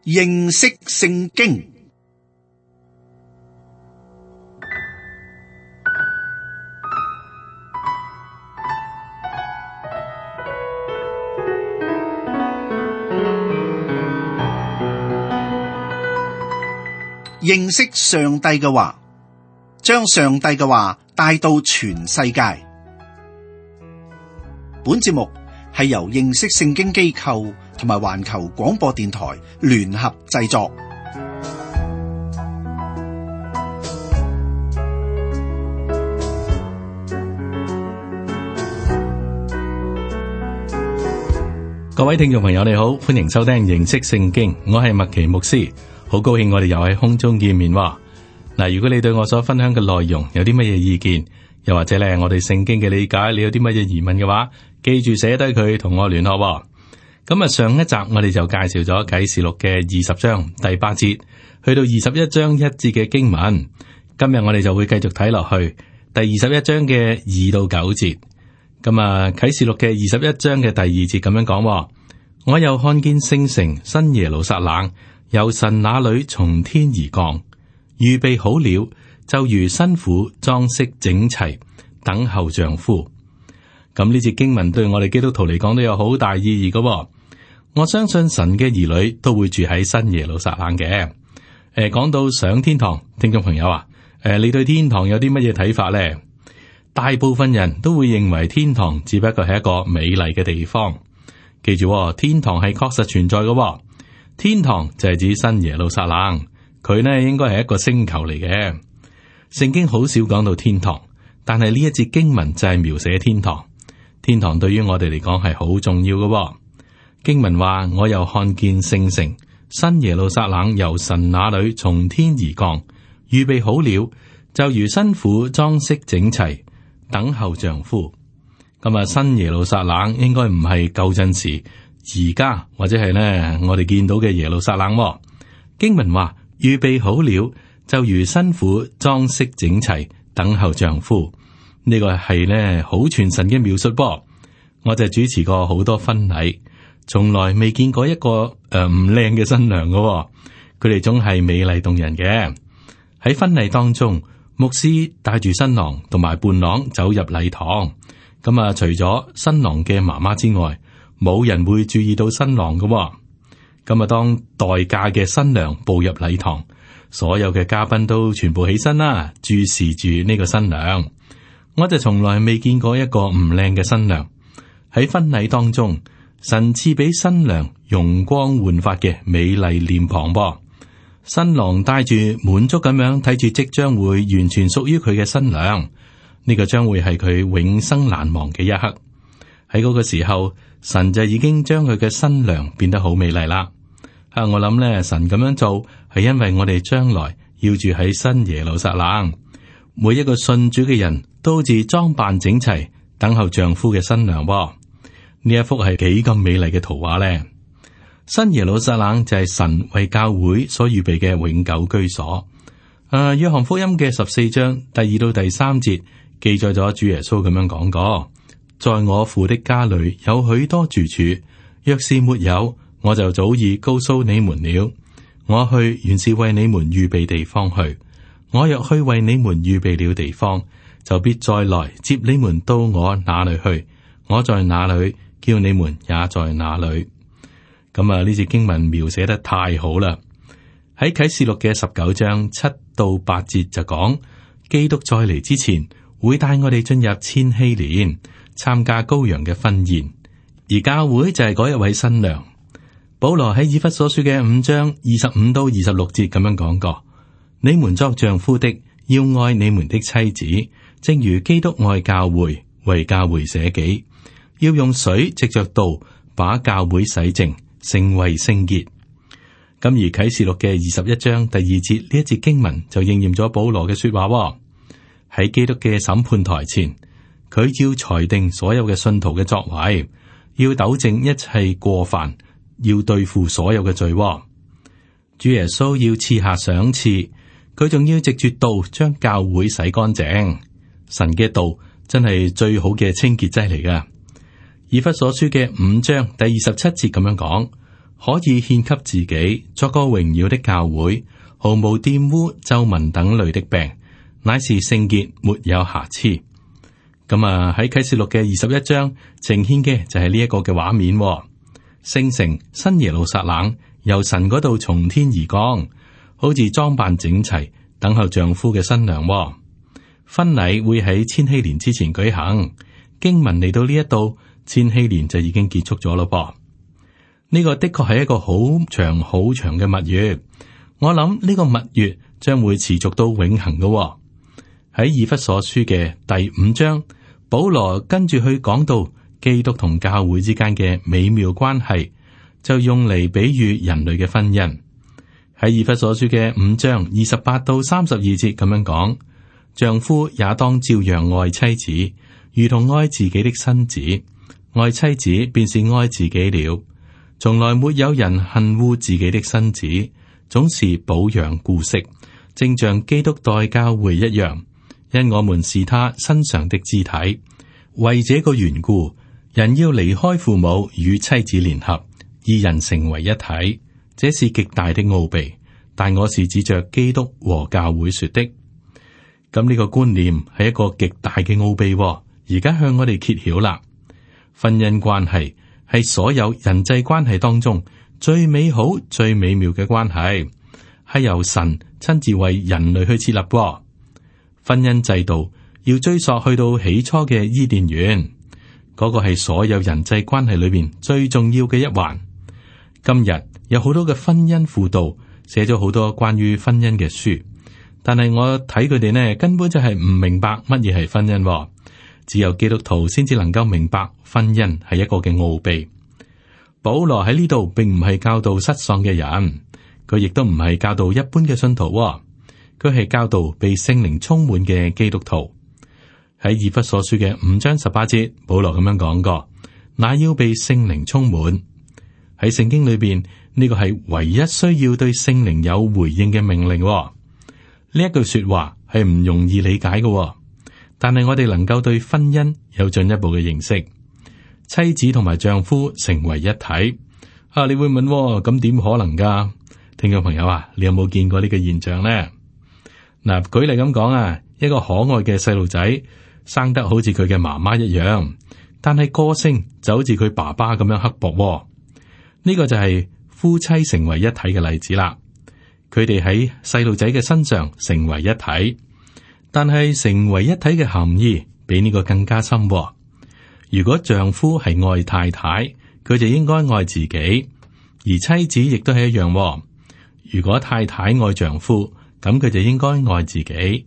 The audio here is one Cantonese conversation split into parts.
認識聖經。認識上帝嘅話，將上帝嘅話帶到全世界。本節目係由認識聖經機構同埋環球廣播電台聯合製作。各位聽眾朋友你好，歡迎收聽認識聖經，我係麥奇牧師，好高興我哋又喺空中見面。嗱，如果你對我所分享嘅內容有啲乜嘢意見，又或者咧我哋聖經嘅理解，你有啲乜嘢疑問嘅話，記住寫低佢同我聯絡。咁啊，上一集我哋就介紹咗啟示錄嘅20章第8節去到21章1節嘅經文。今日我哋就會繼續睇落去第21章嘅2到9節。咁啊，啟示錄嘅21章嘅第2節咁樣講：我又看見聖城新耶路撒冷由神那裏從天而降，預備好了，就如新婦裝飾整齊，等候丈夫。咁呢節經文對我哋基督徒嚟講都有好大意義㗎。我相信神嘅兒女都會住喺新耶路撒冷嘅。講到上天堂，聽眾朋友啊，你對天堂有啲乜嘢睇法呢？大部分人都會認為天堂只不過係一個美麗嘅地方。記住，天堂係確實存在嘅。天堂就係指新耶路撒冷，佢呢應該係一個星球嚟嘅。聖經好少講到天堂，但係呢一節經文就係描寫天堂。天堂對於我哋嚟講係好重要嘅。經文話：我又看見聖城新耶路撒冷由神那裏從天而降，預備好了，就如新婦裝飾整齊，等候丈夫。咁啊，新耶路撒冷應該唔係舊陣時而家或者係呢我哋見到嘅耶路撒冷。經文話預備好了，就如新婦裝飾整齊，等候丈夫。呢個係呢好傳神嘅描述噃。我就主持過好多婚禮，從來未見過一個唔靚嘅新娘㗎。佢哋總係美麗動人嘅。喺婚禮當中，牧師帶住新郎同埋伴郎走入禮堂。咁啊，除咗新郎嘅媽媽之外，冇人會注意到新郎㗎。咁啊，當待嫁嘅新娘步入禮堂，所有嘅嘉賓都全部起身啦，注視住呢個新娘。我就從來未見過一個唔靚嘅新娘。喺婚禮當中，神賜俾新娘容光煥發嘅美麗臉龐噃。新郎帶住滿足咁樣睇住即將會完全屬於佢嘅新娘，呢個將會係佢永生難忘嘅一刻。喺嗰個時候，神就已經將佢嘅新娘變得好美麗啦。我諗咧，神咁樣做係因為我哋將來要住喺新耶路撒冷，每一個信主嘅人都好似裝扮整齊，等候丈夫嘅新娘噃。呢一幅係幾咁美麗嘅圖畫呢？新耶路撒冷就係神為教會所預備嘅永久居所。約翰福音嘅14章第2到第3節記載咗主耶穌咁樣講過：在我父的家裏有許多住處，若是沒有，我就早已告訴你們了。我去原是為你們預備地方去。我若去為你們預備了地方，就必再來接你們到我那裏去。我在哪裏，叫你們也在哪裏。咁啊，呢節經文描寫得太好啦！喺啟示錄嘅19章7到8節就講，基督再嚟之前會帶我哋進入千禧年，參加羔羊嘅婚宴，而教會就係嗰一位新娘。保羅喺以弗所書嘅5章25到26節咁樣講過：你們作丈夫的要愛你們的妻子，正如基督愛教會，為教會捨己，要用水藉着道把教會洗淨，成為聖潔。咁而啟示錄嘅21章第2節呢一節經文就應驗咗保羅嘅說話。喺基督嘅審判台前，佢要裁定所有嘅信徒嘅作為，要糾正一切過犯，要對付所有嘅罪。主耶穌要賜下賞賜，佢仲要藉住道將教會洗乾淨。神嘅道真係最好嘅清潔劑嚟噶。以弗所書嘅5章第27節咁樣講：可以獻給自己作個榮耀的教會，毫無玷污、皺紋等類的病，乃是聖潔，沒有瑕疵。咁啊，喺啟示錄嘅21章呈現嘅就係呢一個嘅畫面。聖城新耶路撒冷由神嗰度從天而降，好似裝扮整齊，等候丈夫嘅新娘。婚禮會喺千禧年之前舉行。經文嚟到呢一度，千禧年就已經結束咗咯噃。呢個的確係一個好長好長嘅蜜月。我諗呢個蜜月將會持續到永恆嘅。喺以弗所書嘅第5章，保羅跟住去講到基督同教會之間嘅美妙關係，就用嚟比喻人類嘅婚姻。喺以弗所書嘅5章28到32節咁樣講，丈夫也當照樣愛妻子，如同愛自己的身子；愛妻子便是愛自己了。從來沒有人恨惡自己的身子，總是保養顧惜，正像基督待教會一樣，因我們是他身上的肢體。為這個緣故，人要離開父母，與妻子聯合，二人成為一體。這是極大的奧秘，但我是指着基督和教會說的。咁呢個觀念係一個極大嘅奧秘，而家向我哋揭曉啦。婚姻關係係所有人際關係當中最美好、最美妙嘅關係，係由神親自為人類去設立。婚姻制度要追溯去到起初嘅伊甸園，嗰個係所有人際關係裏邊最重要嘅一環。今日有好多嘅婚姻輔導，寫咗好多關於婚姻嘅書，但係我睇佢哋呢，根本就係唔明白乜嘢係婚姻。只有基督徒先至能夠明白婚姻係一個嘅奧秘。保羅喺呢度並唔係教導失喪嘅人，佢亦都唔係教導一般嘅信徒，佢係教導被聖靈充滿嘅基督徒。喺以弗所書嘅5章18節，保羅咁樣講過：那要被聖靈充滿。喺聖經裏邊，呢個係唯一需要對聖靈有回應嘅命令。呢一句說話係唔容易理解嘅。但係我哋能夠對婚姻有進一步嘅認識，妻子同埋丈夫成為一體。你會問咁點可能噶？聽眾朋友啊，你有冇見過呢個現象呢？嗱，舉例咁講一個可愛嘅細路仔生得好似佢嘅媽媽一樣，但係個性就好似佢爸爸咁樣刻薄。呢個就係夫妻成為一體嘅例子啦。佢哋喺細路仔嘅身上成為一體。但係成為一體嘅含義比呢個更加深。如果丈夫係愛太太，佢就應該愛自己，而妻子亦都係一樣。如果太太愛丈夫，咁佢就應該愛自己。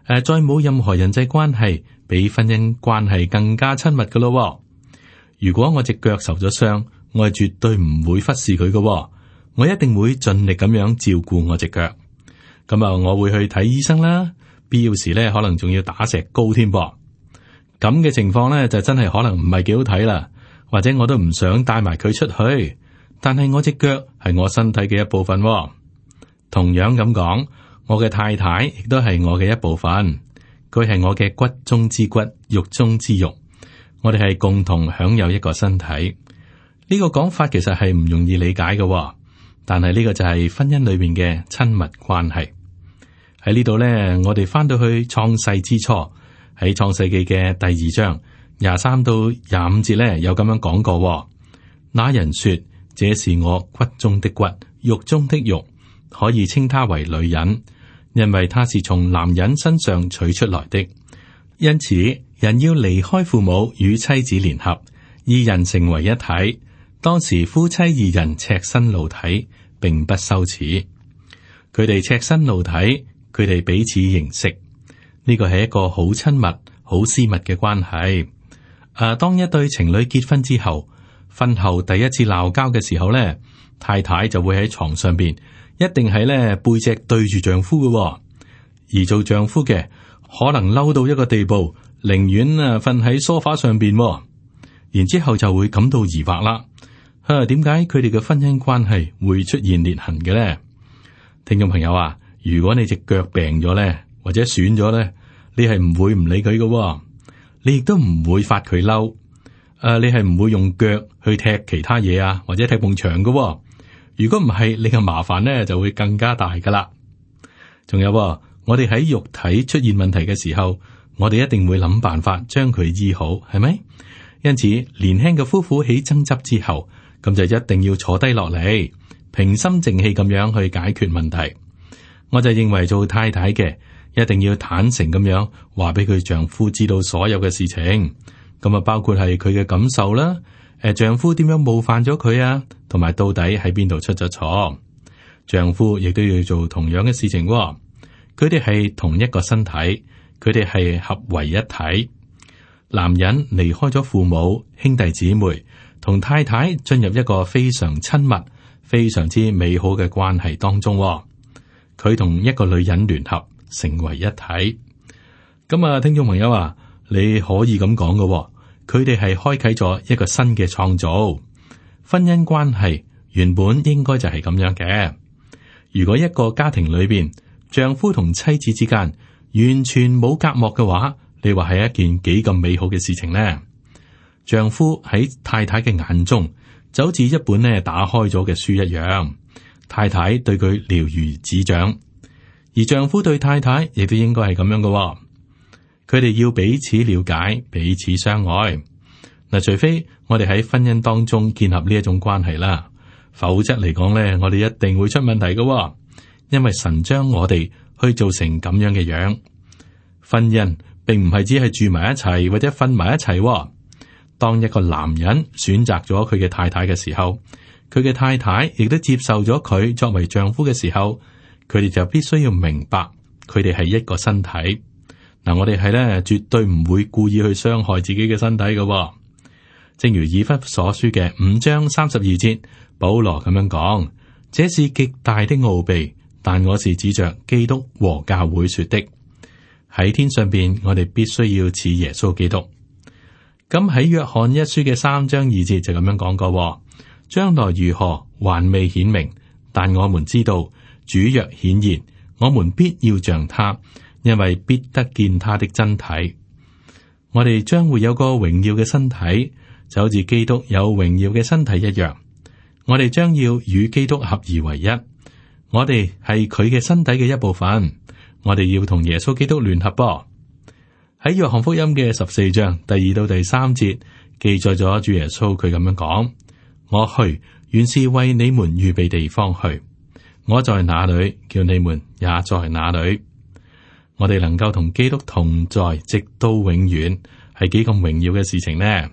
再冇任何人際關係比婚姻關係更加親密噶咯。如果我隻腳受咗傷，我係絕對唔會忽視佢噶，我一定會盡力咁樣照顧我隻腳。咁我會去睇醫生啦。必要時咧，可能仲要打石膏添噃。咁嘅情況咧，就真係可能唔係幾好睇啦。或者我都唔想帶埋佢出去，但係我隻腳係我身體嘅一部分。同樣咁講，我嘅太太亦都係我嘅一部分，佢係我嘅骨中之骨，肉中之肉。我哋係共同享有一個身體。呢個講法其實係唔容易理解嘅，但係呢個就係婚姻裏邊嘅親密關係。喺呢度呢，我哋翻到去創世之初，喺創世記嘅第2章23到25節呢，有咁樣講過。那人說：這是我骨中的骨，肉中的肉，可以稱他為女人，因為他是從男人身上取出來的。因此，人要離開父母，與妻子聯合，二人成為一體。當時夫妻二人赤身露體，並不羞恥。佢哋赤身露體。佢哋彼此認識，呢個係一個好親密、好私密嘅關係。當一對情侶結婚之後，婚後第一次鬧交嘅時候呢，太太就會喺床上邊，一定係呢背脊對住丈夫嘅，而做丈夫嘅可能嬲到一個地步，寧願瞓喺梳化上邊，然之後就會感到疑惑啦。點解佢哋嘅婚姻關係會出現裂痕嘅呢？聽眾朋友啊！如果你隻腳病咗咧，或者損咗咧，你係唔會唔理佢嘅，你亦都唔會發佢嬲。你係唔會用腳去踢其他嘢啊，或者踢埲牆嘅。如果唔係，你嘅麻煩呢就會更加大噶啦。仲有，我哋喺肉體出現問題嘅時候，我哋一定會諗辦法將佢醫好，係咪？因此，年輕嘅夫婦起爭執之後，咁就一定要坐低落嚟，平心靜氣咁樣去解決問題。我就認為做太太嘅一定要坦誠咁樣話俾佢丈夫知道所有嘅事情，咁啊包括係佢嘅感受啦，丈夫點樣冒犯咗佢啊，同埋到底喺邊度出咗錯。丈夫亦都要做同樣嘅事情，佢哋係同一個身體，佢哋係合為一體。男人離開咗父母、兄弟姊妹，同太太進入一個非常親密、非常之美好嘅關係當中。佢同一個女人聯合成為一體。咁啊，聽眾朋友啊，你可以咁講嘅，佢哋係開啟咗一個新嘅創造。婚姻關係原本應該就係咁樣嘅。如果一個家庭裏邊丈夫同妻子之間完全冇隔膜嘅話，你話係一件幾咁美好嘅事情呢？丈夫喺太太嘅眼中就好似一本呢打開咗嘅書一樣，太太對佢了如指掌，而丈夫對太太亦都應該係咁樣嘅。佢哋要彼此了解，彼此相愛。嗱，除非我哋喺婚姻當中建立呢一種關係啦。否則嚟講咧，我哋一定會出問題嘅，因為神將我哋去做成咁樣嘅樣。婚姻並唔係只係住埋一齊或者瞓埋一齊。當一個男人選擇咗佢嘅太太嘅時候，佢嘅太太亦都接受咗佢作為丈夫嘅時候，佢哋就必須要明白，佢哋係一個身體。嗱，我哋係咧絕對唔會故意去傷害自己嘅身體嘅。正如以弗所書嘅5章32節。保羅咁樣講，這是極大的奧秘，但我是指着基督和教會說的。喺天上邊，我哋必須要似耶穌基督。咁喺約翰一書嘅3章2節就咁樣講過，將來如何還未顯明，但我們知道主若顯現，我們必要像他，因為必得見他的真體。我哋將會有個榮耀嘅身體，就好似基督有榮耀嘅身體一樣。我哋將要與基督合而為一，我哋係佢嘅身體嘅一部分，我哋要同耶穌基督聯合噃。喺約翰福音嘅14章第2到第3節記載咗主耶穌佢咁樣講：我去原是為你們預備地方去，我在哪裏，叫你們也在哪裏。我哋能夠同基督同在，直到永遠，係幾咁榮耀嘅事情呢？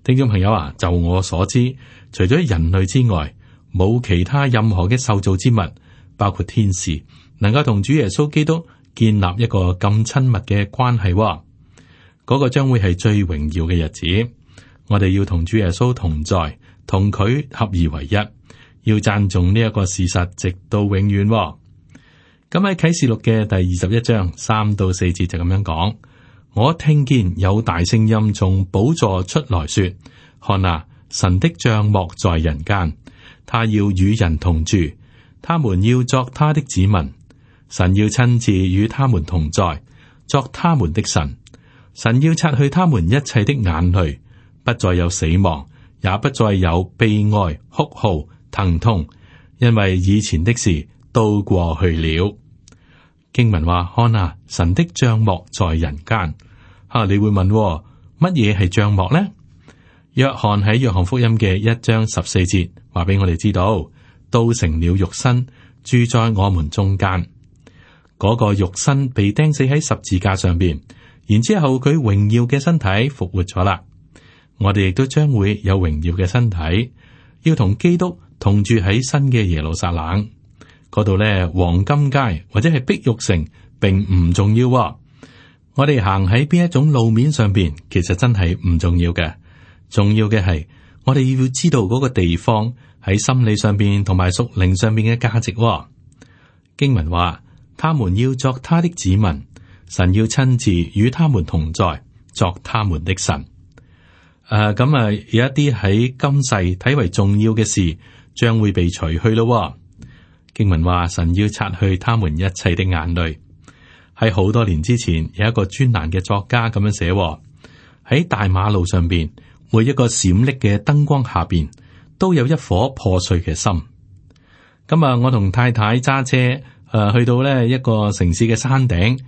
聽眾朋友啊，就我所知，除咗人類之外，冇其他任何嘅受造之物，包括天使，能夠同主耶穌基督建立一個咁親密嘅關係。嗰個將會係最榮耀嘅日子。我哋要同主耶穌同在，同佢合而為一，要讚頌呢一個事實，直到永遠。咁喺啟示錄嘅第21章3到4節就咁樣講：我聽見有大聲音從寶座出來說，看啊，神的帳幕在人間，他要與人同住，他們要作他的子民，神要親自與他們同在，作他們的神。神要擦去他們一切的眼淚，不再有死亡，也不再有悲哀、哭號、疼痛，因為以前的事都過去了。經文話：看啊，神的帳幕在人間。你會問乜嘢係帳幕呢？約翰喺約翰福音嘅1章14節話俾我哋知道，都成了肉身，住在我們中間。嗰個肉身被釘死喺十字架上邊，然之後佢榮耀嘅身體復活咗啦。我哋亦都將會有榮耀嘅身體，要同基督同住喺新嘅耶路撒冷嗰度咧。黃金街或者係碧玉城並唔重要。我哋行喺邊一種路面上邊，其實真係唔重要嘅。重要嘅係我哋要知道嗰個地方喺心理上邊同埋屬靈上邊嘅價值。經文話：他們要作他的子民，神要親自與他們同在，作他們的神。有一啲喺今世睇為重要嘅事，將會被除去咯。經文話：神要擦去他們一切的眼淚。喺好多年之前，有一個專欄嘅作家咁樣寫：喺大馬路上邊，每一個閃爍嘅燈光下邊，都有一顆破碎嘅心。今日我同太太揸車去到呢一個城市嘅山頂，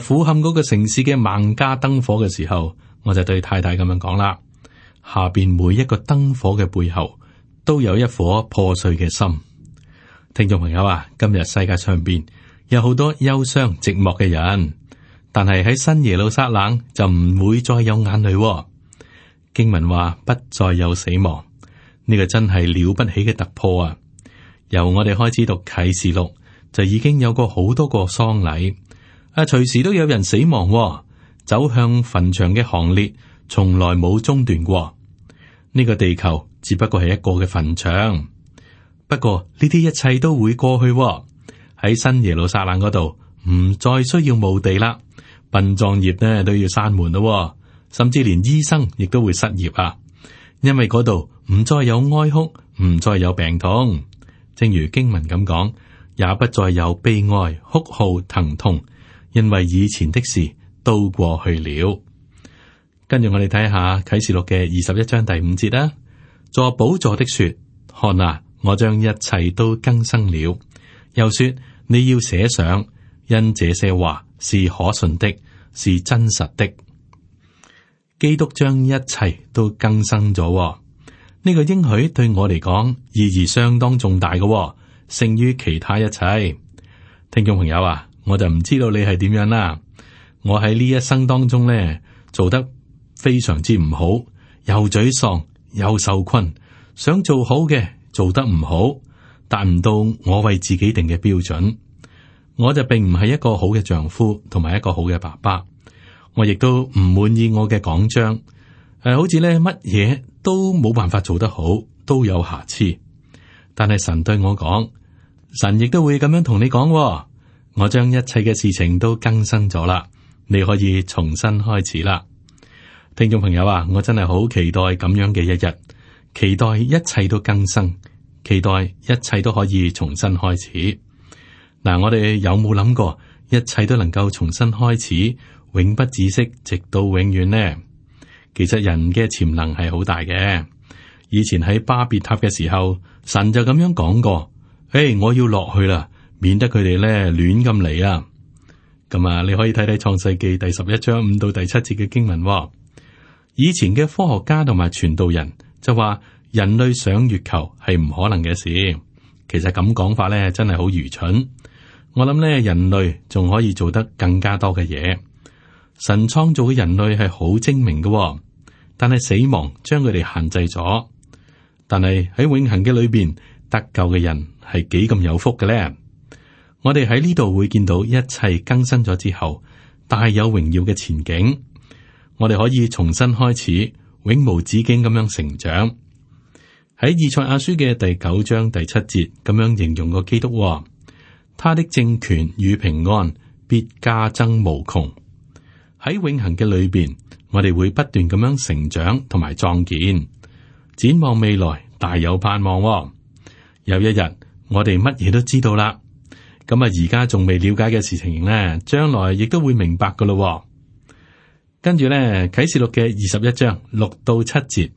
俯瞰嗰個城市嘅萬家燈火嘅時候，我就對太太咁樣講啦：下邊每一個燈火嘅背後，都有一顆破碎嘅心。聽眾朋友啊，今日世界上邊有好多憂傷寂寞嘅人，但係喺新耶路撒冷就唔會再有眼淚。經文話不再有死亡，呢個真係了不起嘅突破啊！由我哋開始讀啟示錄，就已經有過好多個喪禮，隨時都有人死亡，走向墳場嘅行列從來冇中斷過。呢個地球只不過係一個嘅墳場，不過呢啲一切都會過去。喺新耶路撒冷嗰度唔再需要墓地啦，殯葬業呢都要閂門咯，甚至連醫生亦都會失業啊，因為嗰度唔再有哀哭，唔再有病痛。正如經文咁講，也不再有悲哀、哭號、疼痛，因為以前的事都過去了。跟住我哋睇下啟示錄嘅21章第5節啦。坐寶座的說：看啊，我將一切都更新了。又說：你要寫上，因這些話是可信的，是真實的。基督將一切都更新咗。呢個應許對我嚟講意義相當重大嘅，勝於其他一切。聽眾朋友啊，我就唔知道你係點樣啦。我喺呢一生當中呢，做得非常之唔好，又沮喪又受困，想做好嘅做得唔好，達唔到我為自己定嘅標準。我就並唔係一個好嘅丈夫，同埋一個好嘅爸爸。我亦都唔滿意我嘅講章，好似咧乜嘢都冇辦法做得好，都有瑕疵。但係神對我講，神亦都會咁樣同你講，我將一切嘅事情都更新咗啦，你可以重新開始啦。聽眾朋友啊，我真係好期待咁樣嘅一日，期待一切都更新，期待一切都可以重新開始。嗱，我哋有冇諗過一切都能夠重新開始，永不止息，直到永遠呢？其實人嘅潛能係好大嘅。以前喺巴別塔嘅時候，神就咁樣講過：我要落去啦，免得佢哋咧亂咁嚟啊！咁啊，你可以睇睇創世記第11章5到第7節嘅經文。以前嘅科學家同埋傳道人就話人類上月球係唔可能嘅事。其實咁講法咧，真係好愚蠢。我諗咧，人類仲可以做得更加多嘅嘢。神創造嘅人類係好精明嘅，但係死亡將佢哋限制咗。但係喺永恆嘅裏邊，得救嘅人係幾咁有福嘅咧？我哋喺呢度會見到一切更新咗之後，大有榮耀嘅前景。我哋可以重新開始，永無止境咁樣成長。喺以賽亞書嘅第9章第7節咁樣形容個基督，他的政權與平安必加增無窮。喺永恆嘅裏邊，我哋會不斷咁樣成長同埋壯健，展望未來，大有盼望。有一日，我哋乜嘢都知道啦。咁啊，而家仲未了解嘅事情呢，將來亦都會明白噶咯。跟住呢，啟示錄嘅21章6到7節，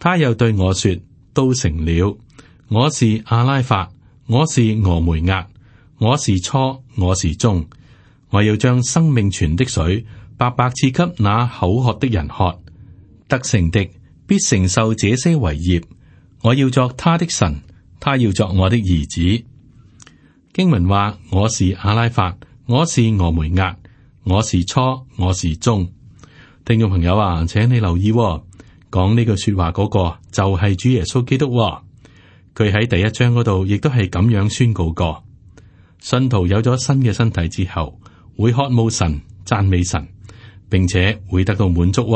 他又對我說：都成了。我是阿拉法，我是俄梅押，我是初，我是終。我要將生命泉的水白白賜給那口渴的人喝，得勝的必承受這些為業。我要作他的神，他要作我的兒子。經文話：我是阿拉法，我是俄梅押，我是初，我是終。聽眾朋友啊，請你留意，講呢句說話嗰個就係主耶穌基督。佢喺第1章嗰度亦都係咁樣宣告過：信徒有咗新嘅身體之後，會渴慕神、讚美神，並且會得到滿足。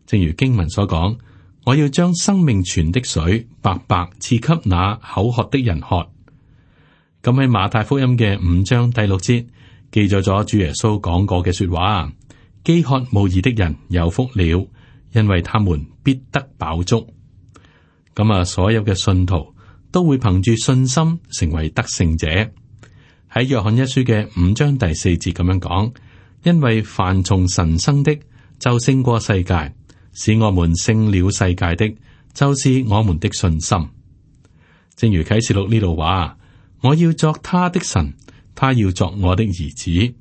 正如經文所講，我要將生命泉的水白白賜給那口渴的人喝。咁喺馬太福音嘅5章第6節記載咗主耶穌講過嘅說話：飢渴慕義的人有福了，因為他們必得飽足。咁啊，所有嘅信徒都會憑住信心成為得勝者。喺約翰一書嘅5章第4節咁樣講：因為凡從神生的就勝過世界，使我們勝了世界的，就是我們的信心。正如啟示錄呢度話，我要作他的神，他要作我的兒子。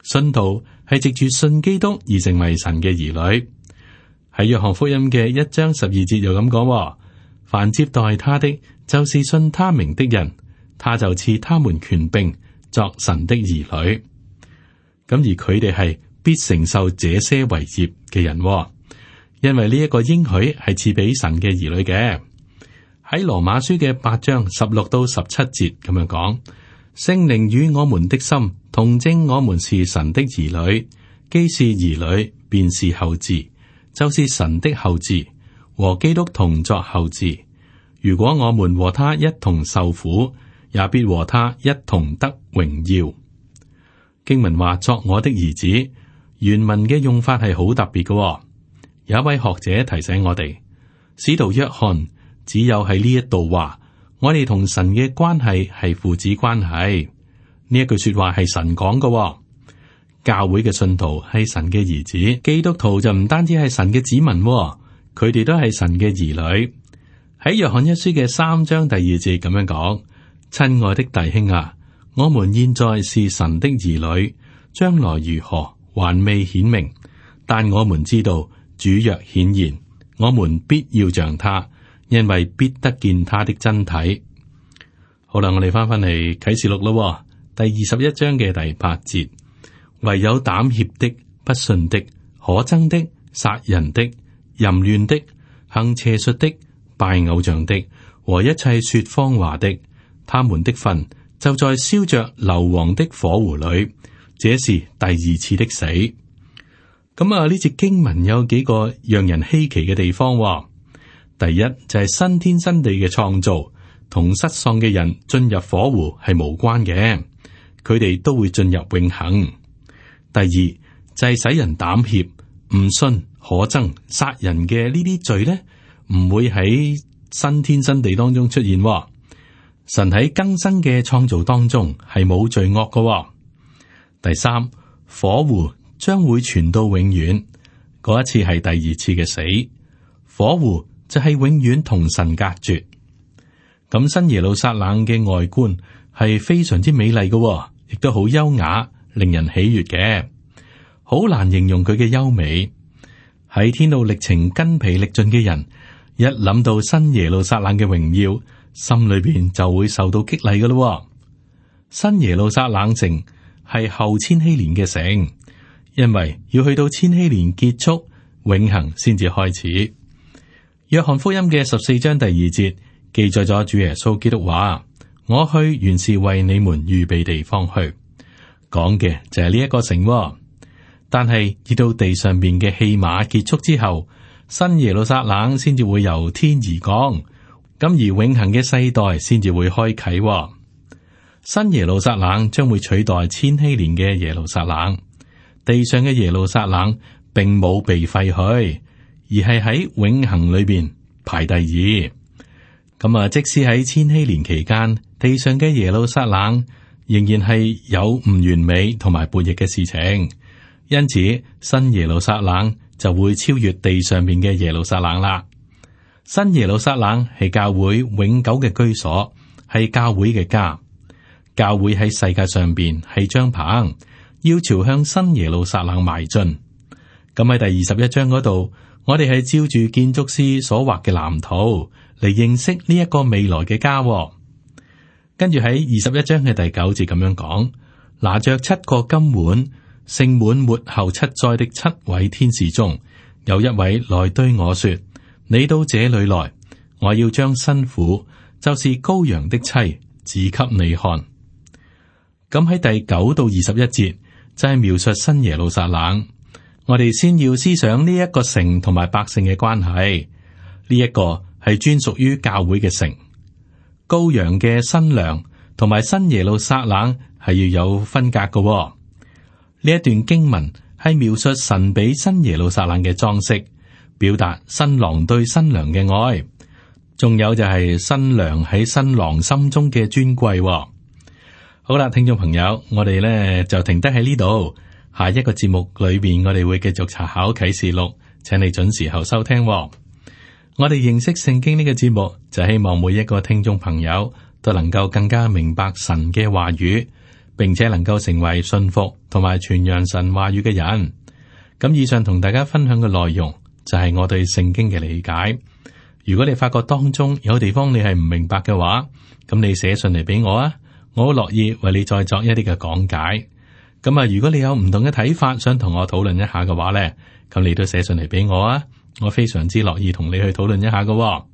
信徒係藉住信基督而成為神嘅兒女。喺約翰福音嘅1章12節又咁講，凡接待他的，就是信他名的人，他就賜他們權柄作神的兒女。咁而佢哋係必承受這些為業嘅人，因為呢一個應許係賜俾神嘅兒女嘅。喺羅馬書嘅8章16到17節咁樣講，聖靈與我們的心同證，我們是神的兒女，既是兒女，便是後嗣，就是神的後嗣，和基督同作後嗣。如果我們和他一同受苦，也必和他一同得榮耀。經文話作我的兒子，原文嘅用法係好特別嘅。有一位學者提醒我哋，使徒約翰只有喺呢一度話，我哋同神嘅關係係父子關係。呢一句說話係神講嘅。教會嘅信徒係神嘅兒子，基督徒就唔單止係神嘅子民，佢哋都係神嘅兒女。喺約翰一書嘅3章第2節咁樣講，親愛的弟兄啊，我們現在是神的兒女，將來如何還未顯明，但我們知道主若顯現，我們必要像他，因為必得見他的真體。好啦，我哋翻嚟啟示錄咯，第21章嘅第8節，唯有膽怯的、不信的、可憎的、殺人的、淫亂的、行邪術的、拜偶像的和一切說謊話的，他們的份就在燒着硫磺的火湖裏，這是第2次的死。咁呢節經文有幾個讓人稀奇嘅地方。第一就係新天新地嘅創造，同失喪嘅人進入火湖係無關嘅，佢哋都會進入永恆。第二就係使人膽怯、唔信、可憎、殺人嘅呢啲罪呢，唔會喺新天新地當中出現。神喺更新嘅創造當中係冇罪惡嘅。第三，火湖將會傳到永遠，嗰一次係第2次嘅死。火湖就係永遠同神隔絕。咁新耶路撒冷嘅外觀係非常之美麗嘅，亦都好優雅，令人喜悅嘅，好難形容佢嘅優美。喺天路歷程筋疲力盡嘅人，一諗到新耶路撒冷嘅榮耀，心裏邊就會受到激勵嘅咯。新耶路撒冷城係後千禧年嘅城，因為要去到千禧年結束，永恆先至開始。約翰福音嘅14章第2節記載咗主耶穌基督話：我去原是為你們預備地方去。講嘅就係呢一個城。但係至到地上邊嘅戲碼結束之後，新耶路撒冷先至會由天而降，咁而永恆嘅世代先至會開啟。新耶路撒冷將會取代千禧年嘅耶路撒冷，地上嘅耶路撒冷並冇被廢去，而係喺永恆裏邊排第2。咁即使喺千禧年期間，地上嘅耶路撒冷仍然係有唔完美同埋叛逆嘅事情，因此新耶路撒冷就會超越地上面嘅耶路撒冷啦。新耶路撒冷係教會永久嘅居所，係教會嘅家。教會喺世界上邊係張棚，要朝向新耶路撒冷邁進。咁喺第21章嗰度，我哋係照住建築師所畫嘅藍圖嚟認識呢一個未來嘅家。跟住喺21章嘅第9節咁樣講，拿着7個金碗，盛滿末後7災的7位天使中，有一位來對我說：你到這裏來，我要將新婦，就是羔羊的妻，指給你看。咁喺第9到21節就係描述新耶路撒冷。我哋先要思想呢一個城同埋百姓嘅關係。呢一個係專屬於教會嘅城，羔羊嘅新娘同埋新耶路撒冷係要有分隔嘅。呢一段經文係描述神俾新耶路撒冷嘅裝飾，表達新郎對新娘嘅愛，仲有就係新娘喺新郎心中嘅尊貴。好啦，聽眾朋友，我哋咧就停低喺呢度。下一個節目裏邊，我哋會繼續查考啟示錄，請你準時候收聽。我哋認識聖經呢個節目，就希望每一個聽眾朋友都能夠更加明白神嘅話語，並且能夠成為信服同埋傳揚神話語嘅人。咁以上同大家分享嘅內容就係我對聖經嘅理解。如果你發覺當中有地方你係唔明白嘅話，咁你寫信嚟俾我啊，我好樂意為你再作一啲嘅講解。咁啊，如果你有唔同嘅睇法，想同我討論一下嘅話呢，咁你都寫信嚟俾我啊，我非常之樂意同你去討論一下嘅。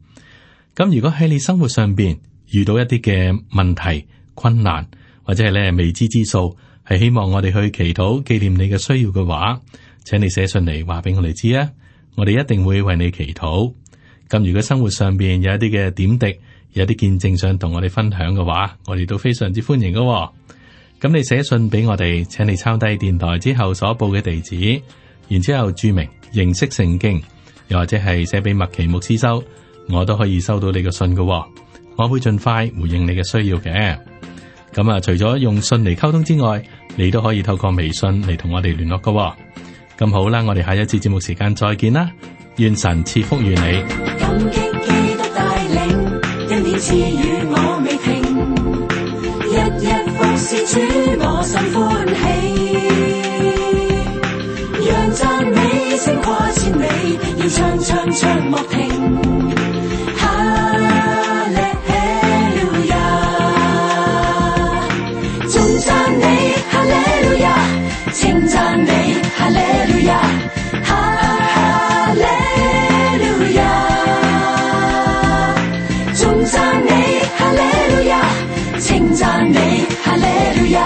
咁如果喺你生活上邊遇到一啲嘅問題、困難或者係咧未知之數，係希望我哋去祈禱紀念你嘅需要嘅話，請你寫信嚟話俾我哋知啊，我哋一定會為你祈禱。咁如果生活上邊有一啲嘅點滴，有啲見證想同我哋分享嘅話，我哋都非常之歡迎嘅。咁你寫信俾我哋，請你抄低電台之後所報嘅地址，然之後注明認識聖經，又或者係寫俾麥奇牧師收，我都可以收到你嘅信嘅。我會盡快回應你嘅需要嘅。咁啊，除咗用信嚟溝通之外，你都可以透過微信嚟同我哋聯絡嘅。咁好啦，我哋下一次節目時間再見啦。願神賜福於你。感激基督帶領，恩典賜予我未停，日日服侍主，我心歡喜。讓讚美聲跨千里，要唱唱唱莫停。哈利路亞，頌讚你，哈利路亞，稱讚你，哈利路亞。哈利路亞，頌讚你，哈利路亞，稱讚你，哈利路亞。